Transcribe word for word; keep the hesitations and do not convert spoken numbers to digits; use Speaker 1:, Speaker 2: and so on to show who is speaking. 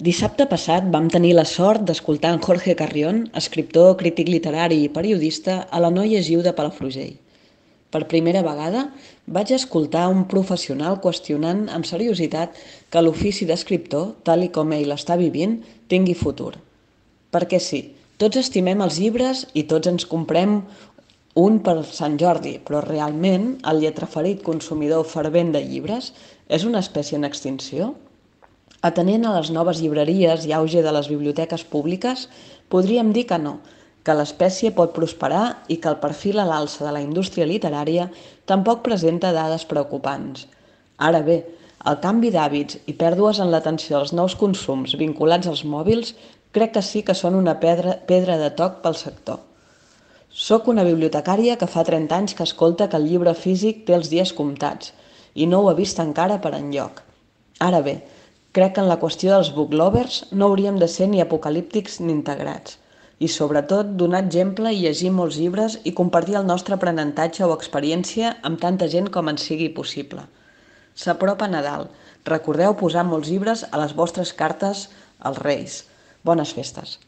Speaker 1: Dissabte passat vam tenir la sort d'escoltar en Jorge Carrión, escriptor, crític literari i periodista, a la No Llegiu de Palafrugell. Per primera vegada vaig escoltar un professional qüestionant amb seriositat que l'ofici d'escriptor, tal i com ell l'està vivint, tingui futur. Perquè sí, tots estimem els llibres i tots ens comprem un per Sant Jordi, però realment el lletraferit consumidor fervent de llibres és una espècie en extinció? Atenent a les noves llibreries i auge de les biblioteques públiques, podríem dir que no, que l'espècie pot prosperar i que el perfil a l'alça de la indústria literària tampoc presenta dades preocupants. Ara bé, el canvi d'hàbits i pèrdues en l'atenció als nous consums vinculats als mòbils crec que sí que són una pedra, pedra de toc pel sector. Soc una bibliotecària que fa trenta anys que escolta que el llibre físic té els dies comptats i no ho he vist encara per enlloc. Ara bé, crec que en la qüestió dels booklovers no hauríem de ser ni apocalíptics ni integrats i, sobretot, donar exemple i llegir molts llibres i compartir el nostre aprenentatge o experiència amb tanta gent com ens sigui possible. S'apropa Nadal. Recordeu posar molts llibres a les vostres cartes als Reis. Bones festes!